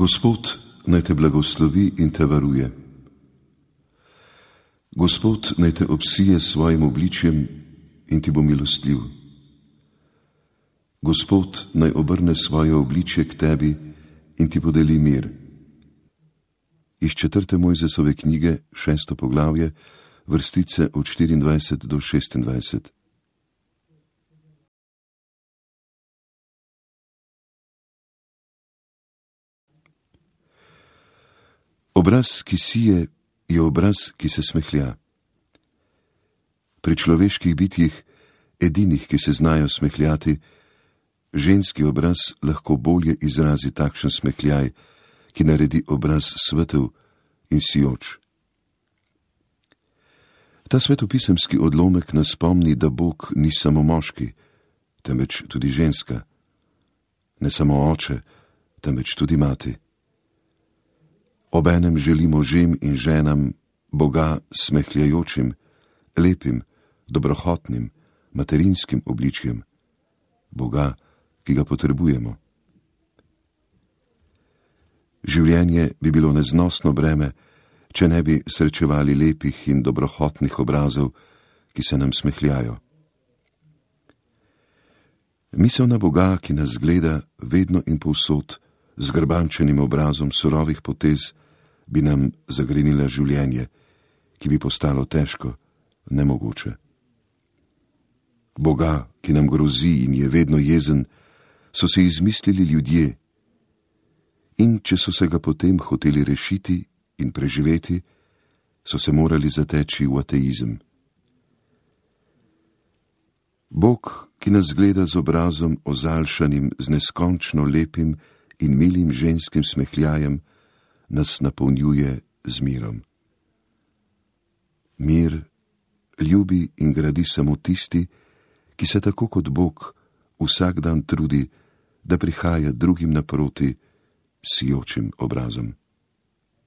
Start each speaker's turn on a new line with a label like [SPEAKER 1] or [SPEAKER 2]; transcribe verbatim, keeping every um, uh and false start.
[SPEAKER 1] Gospod naj te blagoslovi in te varuje. Gospod naj te obsije s svojim obličjem in ti bo milostljiv. Gospod naj obrne svoje obličje k tebi in ti podeli mir. Iz četrte Mojzesove knjige, šesto poglavje, vrstice od štiriindvajset do šestindvajset. Obraz, ki sije, je obraz, ki se smehlja. Pri človeških bitjih, edinih, ki se znajo smehljati, ženski obraz lahko bolje izrazi takšen smehljaj, ki naredi obraz svetel in sijoč. Ta svetopisemski odlomek nas spomni, da Bog ni samo moški, temveč tudi ženska, ne samo oče, temveč tudi mati. Obenem želi možem in ženam Boga smehljajočim, lepim, dobrohotnim, materinskim obličjem, Boga, ki ga potrebujemo. Življenje bi bilo neznosno breme, če ne bi srečevali lepih in dobrohotnih obrazov, ki se nam smehljajo. Misel na Boga, ki nas gleda vedno in povsod z grbančenim obrazom surovih potez, bi nam zagrenila življenje, ki bi postalo težko, nemogoče. Boga, ki nam grozi in je vedno jezen, so se izmislili ljudje, in če so se ga potem hoteli rešiti in preživeti, so se morali zateči v ateizem. Bog, ki nas gleda z obrazom ozaljšanim z neskončno lepim in milim ženskim smehljajem, nas napolnjuje z mirom. Mir ljubi in gradi samo tisti, ki se tako kot Bog vsak dan trudi, da prihaja drugim naproti s sijočim obrazom.